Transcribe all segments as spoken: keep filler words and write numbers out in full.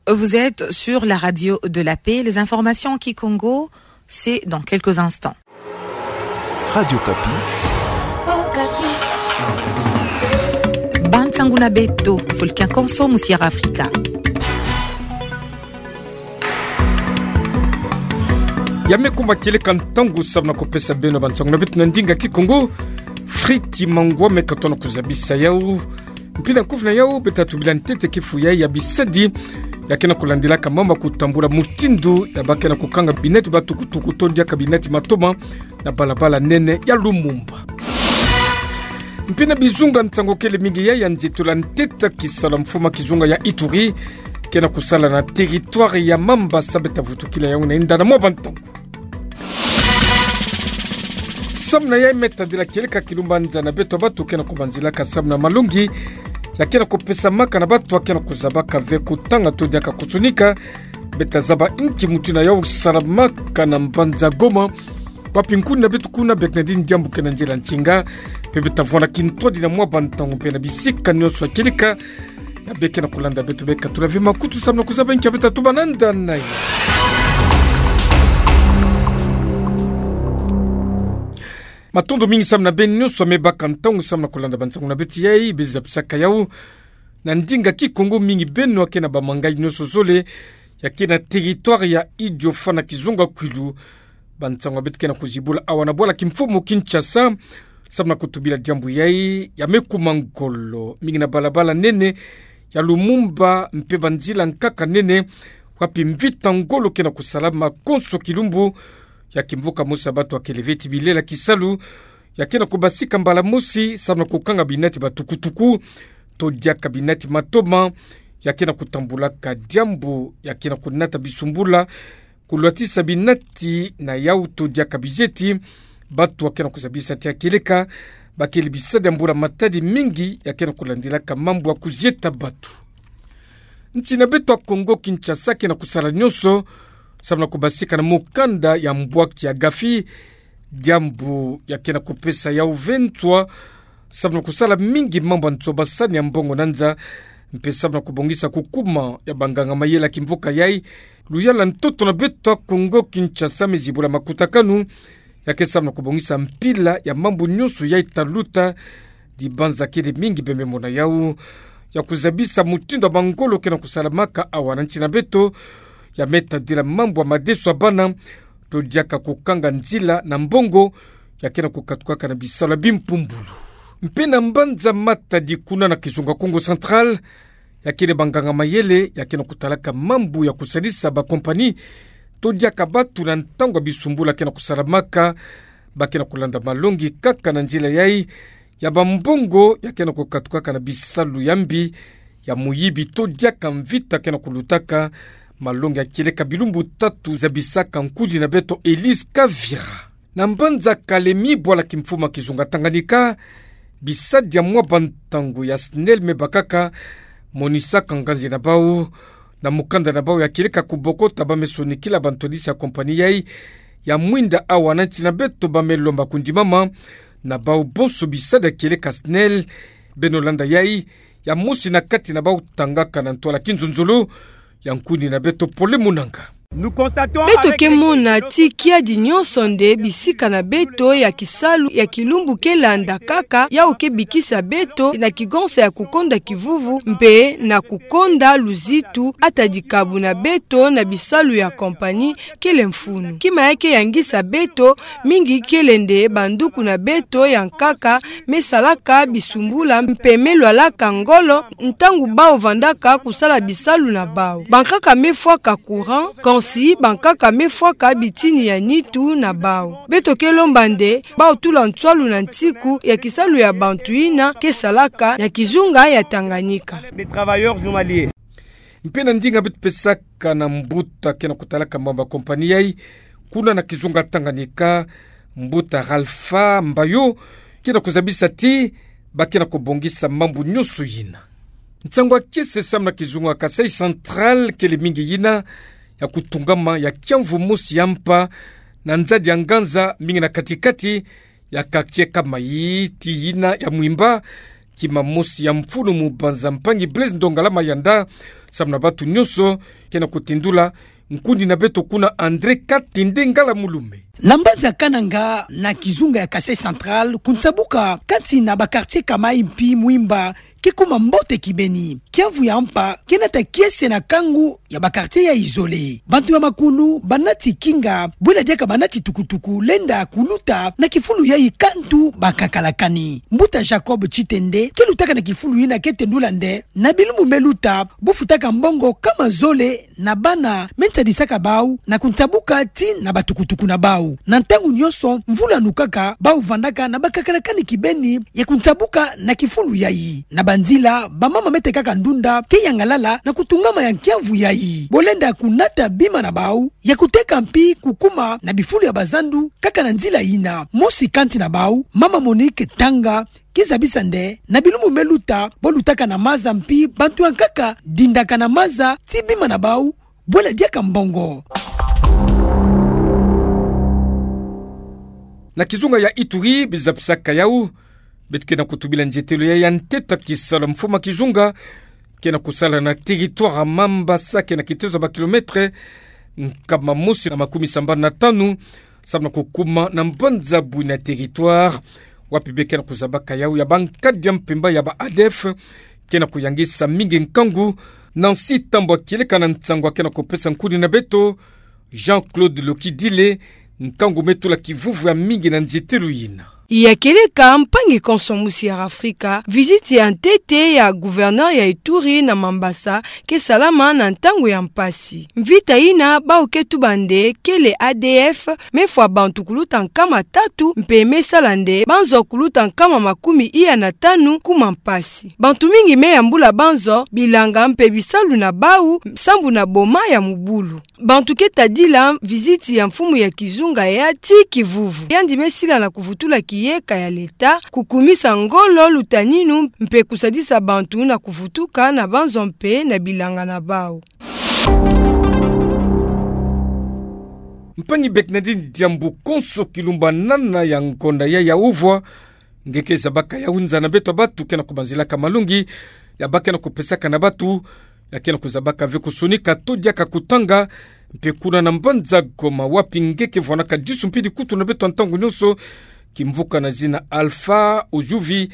Vous êtes sur la radio de la paix. Les informations en kikongo, c'est dans quelques instants. Radio Okapi. Bansangu na beto, Fulkin Konso, mu Sierra Africa. Ya me kuma kieleka ntangu samu na kupesa beno bansangu na beto na ndinga kikongo. Friti Mangwa me katona kuzabisa yau. Mpi na nkufi na yau, beta tubila ntete kifu yai ya bisadi ya kena kulandilaka mamba kutambula mutindu ya ba kena kukanga binati ba tukutuku to diaka binati matoma na balabala nene ya Lumumba. Mpi na bizunga, nsangu kele mingi yai ya nzitula ntete ya kisalu ya mfuma kizunga ya Ituri kena kusala na territoire ya Mambasa, beta vutukila yau na inda na mwa bantangu. Samu na yai me tadila kieleka kilumbanza na beto bantu kena kubanzilaka samu na malongi ya kena kupesamaka na bantu ya kena kuzabaka ve kutanga to diaka kusunika. Beta zaba inki mutu na yau salamaka na mbanza Goma, wapi nkuni na beto kuna bia kena di diambu kena nzila nsinga. Mpe beta vwanda kintwadi na mwa bantangu mpe na bisika nyonso ya kieleka ya bia kena kulanda beto, bia katula ve makutu samu na kuzaba inki ya beta tuba na nda na yai. Matondo mingi samu na beno nyonso ya me baka ntangu samu na kulanda bansangu na beto yai. Beza pisaka yau na ndinga kikongo mingi beno ya kena bamanga nyonso zole ya kena territoire ya Idiofa na kizunga Kwilu. Bansangu ya beto kena kuzibula awa na bwala kimfumu Kinshasa samu na kutubila diambu yai ya me kuma ngolo mingi na balabala nene ya Lumumba mpe banzila nkaka nene, wapi mvita ngolo kena kusalama konso kilumbu. Ya kimvuka mosi ya bantu ya kele ve ti bilela kisalu ya kena kubasika mbala mosi samu na kukanga binati ba tukutuku to diaka binati matoma ya kena kutambulaka diambu ya kena kunata bisumbula, kulwatisa binati na yau to diaka bizeti. Bantu ya kena kuzabisa ti ya kieleka ba kele bisadi ya mbula-matadi mingi ya kena kulandilaka mambu ya kuzieta bantu. Nsi na beto ya Kongo Kinshasa kena kusala nyonso samu na kubasika na mukanda ya mbwaki ya Gafi, diambu ya kena kupesa yau ve nswa samu na kusala mingi mambu ya nsobasani ya mbongo na nza, mpe samu na kubongisa kukuma ya banganga-mayele ya kimvuka yai. Luyala ntoto na beto ya Kongo Kinshasa me zibula makutakanu ya ke samu na kubongisa mpila ya mambu nyonso yai ta luta, dibanza kele mingi bia me mona yau ya kuzabisa mutindu ya bangolo kena kusalamaka awa na nsi na beto, ya me tadila mambu ya madeso ya bana to diaka kukanga nzila na mbongo ya kena kukatukaka na bisalu ya bimpumbulu. Mpe na mbanza Matadi kuna na kizunga Kongo Central, ya kele banganga-mayele ya kena kutalaka mambu ya kusalisa bakompani to diaka bantu na ntangu ya bisumbula kena kusalamaka, ba kena kulanda malongi kaka na nzila yai ya bambongo ya kena kukatukaka na bisalu ya mbi ya muyibi to diaka mvita kena kulutaka. Malongi ya kieleka bilumbu tatu, zabisaka nkudi na beto Elise Kavira. Na mbanza Kalemi, bwala kimfumu ya kizunga Tanganyika, bisadi ya mwa bantangu ya SNEL me bakaka, monisaka nganzi na bau na mukanda na bau ya kieleka kubokota ba me sonikila bantwadisi ya kompani yai ya mwinda awa na nsi na beto. Ba me lomba kundimama na bau bonso bisadi ya kieleka SNEL. Beno landa yai, ya mosi na kati na bau tangaka na ntwala kinzonzolo ya nkuni na beto Pole Munanga. Beto ke mona ti kiadi nyonso nde bisika na beto ya kisalu ya kilumbu ke landa kaka, yau ke bikisa beto na kigonsa ya kukonda kivuvu mpe na kukonda luzitu, ata dikabu na beto na bisalu ya kompani kele mfunu. Kima ya ke yangisa beto mingi kele nde banduku na beto ya nkaka me salaka bisumbula mpe me lwalaka ngolo ntangu bau vandaka kusala bisalu na bau. Bankaka me fwaka courant, kansi bankaka me fwaka bitini ya nitu na bau. Beto ke lomba nde bau tula nswalu na ntiku ya kisalu ya bantu yina ke salaka na kizunga ya Tanganyika. Mpe na ndinga beto pesaka na mbuta kena kutalaka mambu ya kompani yai kuna na kizunga Tanganyika, mbuta Ralpha Mbayo, kena kuzabisa ti ba kena kubongisa mambu nyonso yina. Nsangu ya kiese samu na kizunga Kasaï Central kele mingi yina ya kutungama ya kiamvu mosi ya mpa na nzadi ya nganza mingi na kati-kati ya quartier Kamayi, ti yina ya mwimba Kima mosi ya mfunu mubanza mpangi Blaise Ndongala Mayanda, samu na bantu nyonso, ke na kutindula nkundi na beto kuna André Katende Ngala Mulume. Na mbanza Kananga na kizunga ya Kasaï Central, kunsabuka kati na ba quartier Kamai mpi Mwimba, ke kuma mbote kibeni. Kiamvu ya mpa ke nata kiese na kangu ya ba quartier ya isolé. Bantu ya makulu banati kinga, bwela diaka banati tukutuku lenda kuluta na kifulu yayi kantu bakakalakani. Mbuta Jacob Tshitende, ke lutaka na kifulu yina ke tendula nde, na bilumbu me luta, bo futaka mbongo kama zole na bana me nsadisaka bau na kunsabuka tii na batukutuku na bau. Na ntangu nyonso mvula nukaka, bau vandaka na bakakalakani kibeni ya kunsabuka na kifulu yayi. Na banzila, bamama me tekaka ndunda ke yangalala na kutungama ya kiamvu yayi. Bo lenda kunata bima na bau ya kuteka mpi kukuma na bifulu ya bazandu kaka na nzila yina. Mosi kati na bau, mama Monique Tanga, ke zabisa nde, na bilumbu me luta, bo lutaka na maza mpi bantu ya nkaka dindaka na maza tii bima na bau bwela diaka mbongo. Na kizunga ya Ituri, bizapisaka yau, beto ke na kutubila nzietelo ya ya ntete ya kisalu ya mfumu ya kizunga ke na kusala na territoire ya Mambasa, ke na kitezo ya ba kilomètre nkama mosi na makumi sambanu na tanu, samu na kukuma na mbanza Bouina, territoire wapi bê ke na kuzabaka yau ya bankadi ya mpemba ya ba A D F ke na kuyangisa mingi nkangu. Nancy Tambwe, kieleka na nsangu ya ke na kupesa nkundi na beto Jean-Claude Lokidile, nkangu me tula kivuvu ya mingi na nzietelo yina. Ya kieleka mpangi konso musi ya Afrika, visite ya ntete ya gouverneur ya Ituri na Mambasa ke salama na ntangu ya mpasi. Mvita yina bau ke tuba nde kele A D F me fwa bantu kuluta nkama tatu mpe me sala nde banzo kuluta nkama makumi iya na tanu kuma mpasi. Bantu mingi me yambula banzo, bilanga mpe bisalu na bau sambu na boma ya mubulu. Bantu ke tadila visite ya mfumu ya kizunga ya tii kivuvu. Yandi me sila na kuvutula kiyeka ya leta, kukumisa ngolo, lutaninu mpe kusadisa bantu na kuvutuka na banzo mpe na bilanga na bau. Mpangi Bernardine Diambu, konso kilumbanana ya ngonda ya ya uvwa, nge ke zabaka yau nza na beto bantu ke na kubanzilaka malongi ya ba ke na kupesaka na bantu, ya ke na kuzabaka ve kusonika to diaka kutanga, mpe kuna na mbanza Goma wapi nge ke vwanaka disu mpe dikutu na beto ya ntangu nyonso, kimvuka na zina Alpha Ujuvi,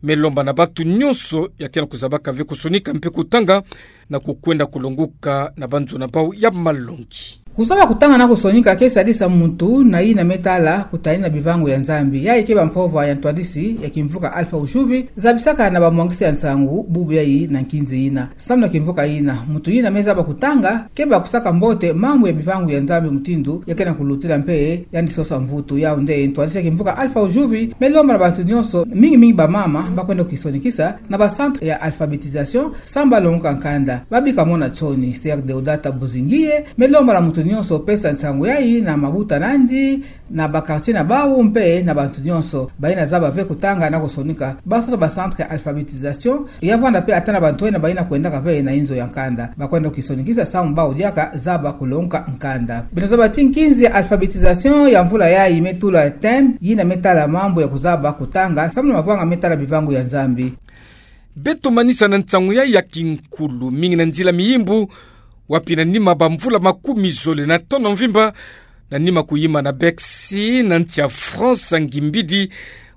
me lomba na bantu nyonso ya ke na kuzabaka ve kusonika mpe kutanga, na kukwenda kulonguka na banzo na bau ya malongi. Kuzaba kutanga na kusonika ke sadisa muntu na yina me tala kutani na bivangu ya Nzambi. Yayi ke ba mpova ya ntwadisi ya kimvuka Alpha Ujuvi, zabisaka na bamwangisi ya nsangu bubu yayi na nkinzi yina. Samu na kimvuka yina, muntu yina me zaba kutanga, keba kusaka mbote mambu ya bivangu ya Nzambi mutindu ya ke na kulutila mpe yandi sosa mvutu. Yau nde ntwadisi ya kimvuka Alpha Ujuvi me lomba na bantu nyonso, mingi mingi bamama, ba kwenda kisonikisa na ba centre ya alphabétisation, samu ba longoka nkanda. Ba bika mona nsoni, Sœur Deodata Buzingiye, me lomba na muntu nyonso pesa nsangu yayi na mabuta nandi, na ba quartier na bau mpe na bantu nyonso bayina zaba ve kutanga na kusonika, ba sosa ba centre ya alphabétisation, ya vwanda mpe ata na bantu yina bayina kwendaka ve na inzo ya nkanda. Ba kwenda kisonikisa samu bau diaka zaba kulongoka nkanda. Beno zaba ti nkinzi ya alphabétisation ya mvula yayi me tula thème yina me tala mambu ya kuzaba kutanga, samu na mavanga me tala bivangu ya Nzambi. Beto manisa na nsangu yayi ya kinkulu, mingi na nzila miyimbu, wapi na nima ba mvula makumi zole na tanu mvimba, na nima kuyima na Bercy, na nsi ya France, ngimbidi,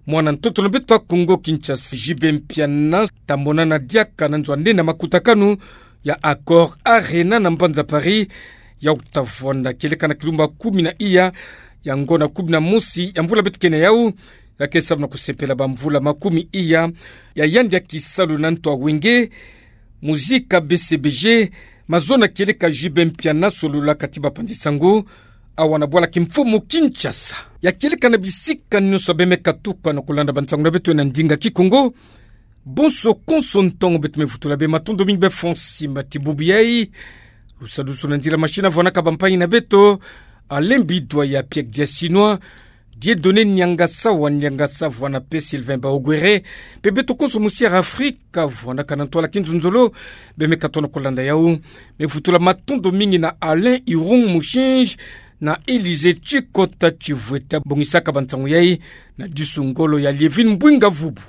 mwana ntoto na beto ya Kongo Kinshasa, J B Mpiana, ta monana diaka na nzo ya nene ya makutakanu ya Accor Arena na mbanza Paris, yau ta vwanda kieleka na kilumbu kumi na iya ya ngonda kumi na mosi ya mvula beto ke na yau, ya ke samu na kusepela ba mvula makumi iya ya yandi ya kisalu na ntu ya wenge, muzika B C B G, mazono kieleka J B Mpiana solola kati ba panzi sango, awa na bwala kimfumu Kinshasa. Ya kieleka na bisika nyonso beno me katuka na kulanda ba nsangu na beto na ndinga Kikongo. Bonso konso ntangu beto me vutula bê matondo mingi bê fonsi mati bubu yayi. Lusadusu na nzila machine vwanaka bampangi na beto, Alain Bidwa ya Pierre Diasinois, Dieudonné Niangasa wa Niangasa vwana mpe Sylvain Baogwere, mpe beto konso musi ya Afrika vwanaka na ntwala kinzonzolo, bê me katuka na kulanda yau. Me vutula matondo mingi na Alain Irung Mushinji, na Élysée Tshikota Tshivweta bongisaka ba nsangu yayi, na disu ngolo ya Lievine Mbwinga Vubu.